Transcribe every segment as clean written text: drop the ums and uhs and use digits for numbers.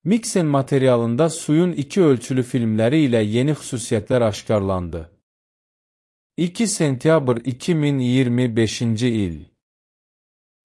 Miksen materialında suyun iki ölçülü filmləri ilə yeni xüsusiyyətlər aşkarlandı. 2 sentyabr 2025-ci il.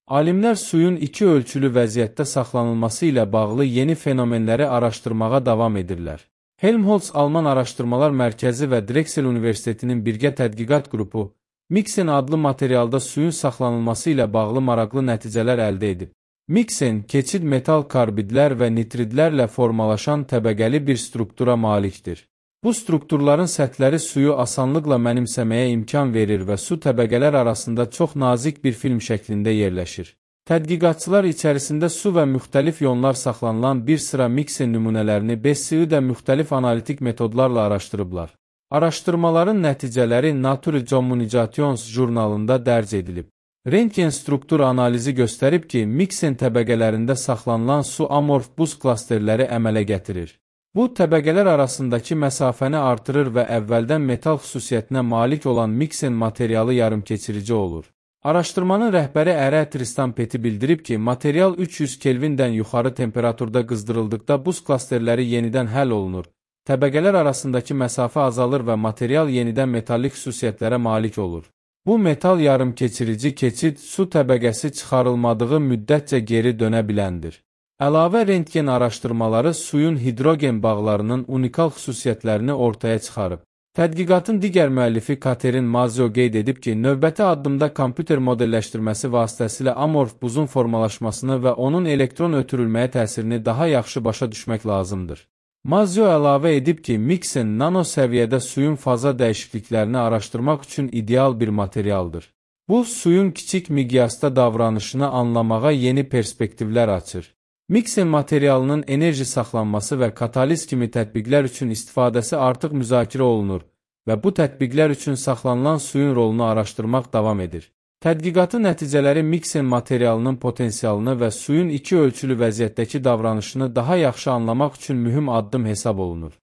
Alimlər suyun iki ölçülü vəziyyətdə saxlanılması ilə bağlı yeni fenomenləri araşdırmağa davam edirlər. Helmholtz Alman Araşdırmalar Mərkəzi və Drexel Universitetinin birgə tədqiqat qrupu, Miksen adlı materialda suyun saxlanılması ilə bağlı maraqlı nəticələr əldə edib. Miksen, keçid metal karbidlər və nitridlərlə formalaşan təbəqəli bir struktura malikdir. Bu strukturların səthləri suyu asanlıqla mənimsəməyə imkan verir və su təbəqələr arasında çox nazik bir film şəklində yerləşir. Tədqiqatçılar içərisində su və müxtəlif ionlar saxlanılan bir sıra Miksen nümunələrini BSU-da müxtəlif analitik metodlarla araşdırıblar. Araşdırmaların nəticələri Nature Communications jurnalında dərc edilib. Rentgen struktur analizi göstərib ki, Miksen təbəqələrində saxlanılan su amorf buz klasterləri əmələ gətirir. Bu, təbəqələr arasındakı məsafəni artırır və əvvəldən metal xüsusiyyətinə malik olan Miksen materialı yarımkeçirici olur. Araşdırmanın rəhbəri Ərə Tristan Peti bildirib ki, material 300 Kelvindən yuxarı temperaturda qızdırıldıqda buz klasterləri yenidən həll olunur. Təbəqələr arasındakı məsafə azalır və material yenidən metallik xüsusiyyətlərə malik olur. Bu metal yarımkeçirici keçid su təbəqəsi çıxarılmadığı müddətcə geri dönə biləndir. Əlavə rentgen araşdırmaları suyun hidrogen bağlarının unikal xüsusiyyətlərini ortaya çıxarıb. Tədqiqatın digər müəllifi Katerin Mazio qeyd edib ki, növbəti addımda kompüter modelləşdirməsi vasitəsilə amorf buzun formalaşmasını və onun elektron ötürülməyə təsirini daha yaxşı başa düşmək lazımdır. Mazio əlavə edib ki, Miksen nano səviyyədə suyun faza dəyişikliklərini araşdırmaq üçün ideal bir materialdır. Bu, suyun kiçik miqyasda davranışını anlamağa yeni perspektivlər açır. Miksen materialının enerji saxlanması və kataliz kimi tətbiqlər üçün istifadəsi artıq müzakirə olunur və bu tətbiqlər üçün saxlanılan suyun rolunu araşdırmaq davam edir. Tədqiqatın nəticələri Miksen materialının potensialını və suyun iki ölçülü vəziyyətdəki davranışını daha yaxşı anlamaq üçün mühüm addım hesab olunur.